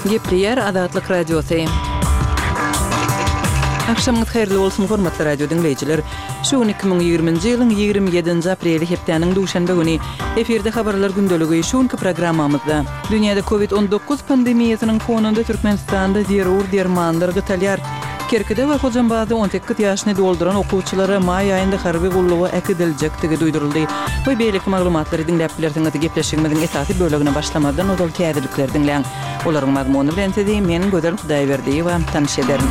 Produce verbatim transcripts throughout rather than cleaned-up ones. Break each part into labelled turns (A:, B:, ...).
A: Gepleýär Azatlyk Radiosy. Agşamyňyz haýyrly bolsun, hormatly radio diňleýjiler. Şu gün iki müň ýigriminji ýylyň ýigrimi ýedinji apreli hepdäniň duşenbe güni. Efirde habarlar gündeligi şu günki programmamyzda. Dünýäde Covid on dokuz pandemiýasynyň fonunda Türkmenistanda zerur dermanlar gytalýar. Kerkide we Hojambazda on sekiz ýaşyny dolduran okuwçylara maý aýynda harby gulluga äkidiljekdigi duýduryldy. We beýleki maglumatlary diňläp bilersiňiz. Gepleşigimiziň esasy bölegine başlamazdan ozal täzelikleri diňläň. Olaryň mazmuny bilen sizi men Gözel Hudaýberdiýewa tanyş ederin.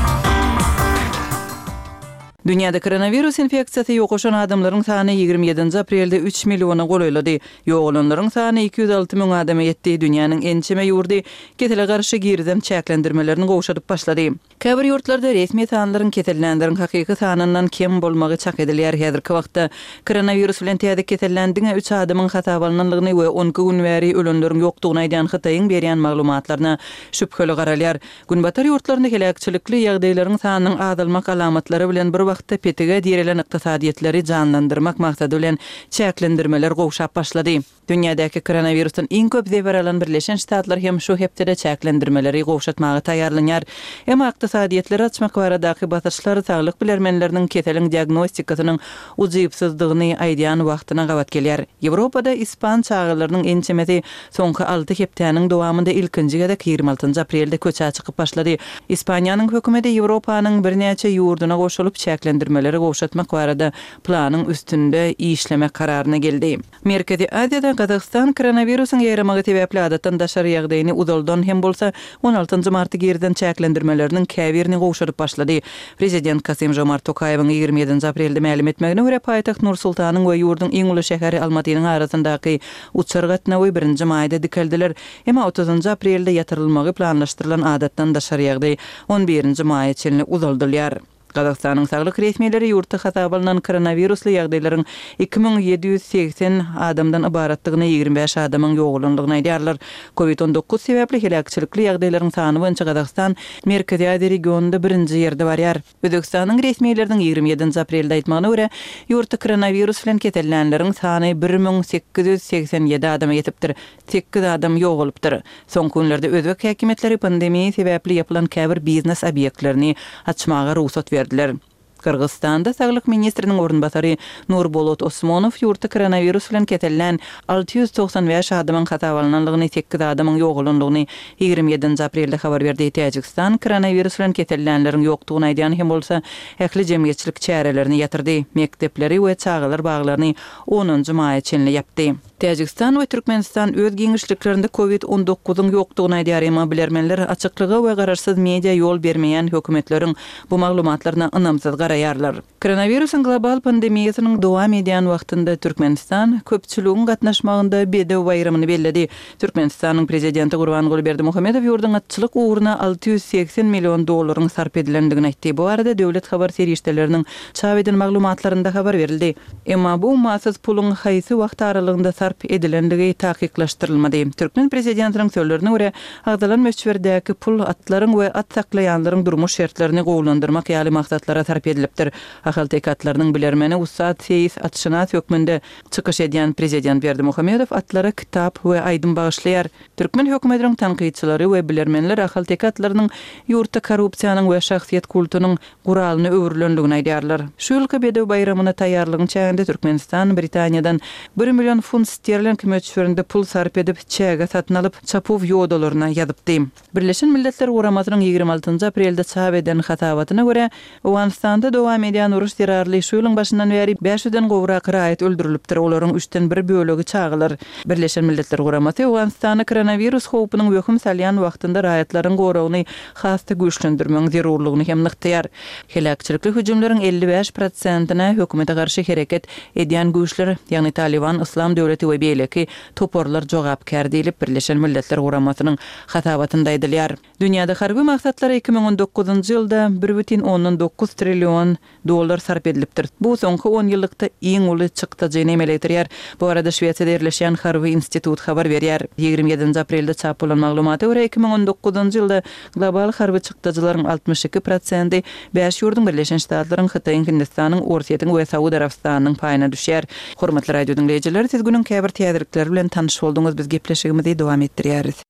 A: Dünýäde koronawirus infeksiýasy ýokaşan adamlaryň sany ýigrimi ýedinji aprelde üç milliona golaýlady. Ýogalanlaryň sany iki ýüz alty müň adama ýetdi. Dünýäniň ençeme ýurdy kesele garşy girizen çäklendirmelerini gowşadyp başlady. Käbir ýurtlarda resmi sanlaryň kesellänleriň hakyky sanyndan kem bolmagy çak edilýär. Häzirki wagtda koronawirus bilen täze kesellän diňe üç adamyň hasaba alnanlygyny we on iki gün bäri ölenleriň ýokdugyny aýdýan Hytaýyň berýän maglumatlaryna şübheli garalýar. Günbatar ýurtlarynda heläkçilikli ýagdaýlaryň sanynyň azalmak alamatlary bilen bir wagtda petige direlen ykdysadyýetleri janlandyrmak maksady bilen çäklendirmeler gowşap başlady. Dünýädäki koronawirusdan iň köp zeper alan Birleşen Ştatlar hem şu hepdede çäklendirmeleri gowşatmaga taýýarlanýar. Emma ykdysadyýetleri açmak baradaky basyşlar saglyk bilermenleriniň keseliň diagnostikasynyň ujypsyzdygyny aýdýan wagtyna gabat gelýär. Ýewropada ispan çagalarynyň ençemesi soňky alty hepdäniň dowamynda ilkinji gezek ýigrimi altynjy aprelde köçä çykyp başlady. Ispaniýanyň hökümeti Ýewropanyň birnäçe ýurduna goşulyp çäklendirmeleri gowşatmak barada planyň üstünde işlemek kararyna geldi. Merkezi Aziýada Gazagystan koronawirusyň ýaýramagy sebäpli adatdan daşary ýagdaýyny uzaldan hem bolsa on altynjy marty girden çäklendirmeleriniň käbirini gowşadyp başlady. Prezident Kasym Jomart Tokaýewiň ýigrimi ýedinji aprelde mälim etmegine görä paýtagt Nur-Sultanyň we ýurduň iň uly şäheri Almatynyň arasyndaky uçar gatnawy birinji maýda dikeldiler. Emma otuzynjy aprelde ýatyrylmagy planlaşdyrylan adatdan daşary ýagdaý on birinji maýa çenli uzaldylýar. Gazagystanyň saglyk resmileri ýurtda hasaba alynan koronavirusly ýagdaýlaryň iki müň ýedi ýüz segsen adamdan ybaratdygyny, ýigrimi bäş adamyň ýogalandygyny aýdýarlar. Covid on dokuz sebäpli heläkçilikli ýagdaýlaryň sany boýunça Gazagystan Merkezi Aziýa regionynda birinji ýerde barýar. Özbekistanyň resmileriniň ýigrimi ýedinji aprelde aýtmagyna görä, ýurtda koronawirus bilen kesellänleriň sany bir müň sekiz ýüz segsen ýedi adama ýetipdir. Sekiz adam ýogalypdyr. Soňky günlerde özbek häkimiýetleri pandemiýa sebäpli ýapylan käbir biznes obýektlerini açmaga rugsat berdiler. Gyrgyzystanda saglyk ministriniň orunbasary Nurbolot Osmonow ýurtda koronawirus bilen kesellän alty ýüz togsan bäş adamyň hasaba alnanlygyny, sekiz adamyň ýogalanlygyny ýigrimi ýedinji aprelde habar berdi. Täjigistan koronawirus bilen kesellänleriň ýokdugyny aýdýan hem bolsa, ähli jemgyýetçilik çärelerini ýatyrdy. Mekdepleri we çagalar baglaryny onunjy maýa çenli ýapdy. Täjigistan we Türkmenistan öz giňişliklerinde Covid on dokuzyň ýokdugyny aýdýar, emma bilermenler açyklyga we garaşsyz media ýol bermeýän hökümetleriň bu maglumatlaryna ynamsyz garaýarlar. Koronawirusyň global pandemiýasynyň dowam edýän wagtynda Türkmenistan köpçüligiň gatnaşmagynda bedew baýramyny belledi. Türkmenistanyň prezidenti Gurbanguly Berdimuhamedow ýurduň atçylyk ugruna alty ýüz segsen million dollaryň sarp edilendigini aýtdy. Bu arada döwlet habar serişdeleriniň çap eden maglumatlarynda habar berildi. Emma bu ummasyz puluň haýsy wagt aralygynda sarp edilendigi takyklaşdyrylmady. Türkmen prezidentiniň sözlerine görä, agzalan möçberdäki pul atlaryň we at saklaýanlaryň durmuş şertlerini gowulandyrmak ýaly maksatlara sarp edilipdir. Ahalteke atlarynyň bilermeni ussat seýis atşynas hökmünde çykyş edýän prezident Berdimuhamedow atlara kitap we aýdym bagyşlaýar. Türkmen hökümetiniň tankytçylary we bilermenler ahalteke atlarynyň ýurtda korrupsiýanyň we şahsyýet kultunyň guralyny öwrülendigini aýdýarlar. Şu ýylky bedew baýramyna taýýarlygyň çäginde Türkmenistan Britaniýadan bir million funt sterling möçberinde pul sarp edip, çäge satyn alyp, çapuw ýodalaryna ýazypdy. Birleşen Milletler Guramasynyň ýigrimi altynjy aprelde çap eden hasabatyna görä, Owganystanda dowam edýän uruş zerarly şu ýylyň başyndan bäri bäş ýüzden gowrak raýat öldürilipdir, olaryň üçden bir bölegi çagalar. Birleşen Milletler Guramasy Owganystanda koronawirus howpunyň wehim salýan wagtynda raýatlaryň goragyny has-da güýçlendirmegiň zerurlygyny hem nygtaýar. Heläkçilikli hüjümleriň elli bäş prosentine hökümete garşy hereket edýän güýçler, ýagny Taliban, Islam döwleti we beýleki toparlar jogapkär diýlip, Birleşen Milletler Guramasynyň hasabatynda aýdylýar. Dünýäde harby maksatlara iki müň on dokuzynjy ýylda bir bütin ondan dokuz trillion dollar sarp edilipdir. Bu soňky on ýyllykda iň uly çykdajyny emele getirýär. Bu arada Şwesiýada ýerleşýän Harby institut habar berýär. Ýigrimi ýedinji aprelde çap bolan maglumata görä iki müň on dokuzynjy ýylda global harby çykdajylaryň altmyş iki prosenti bäş ýurduň Birleşen Ştatlaryň, Hytaýyň, Hindistanyň, Orsýetiň we Saud Arabystanynyň paýyna düşýär. Hormatly radio diňleýjiler, siz günüň käbir täzelikleri bilen tanyş bolduňyz. Biz gepleşigimizi dowam etdirýäris.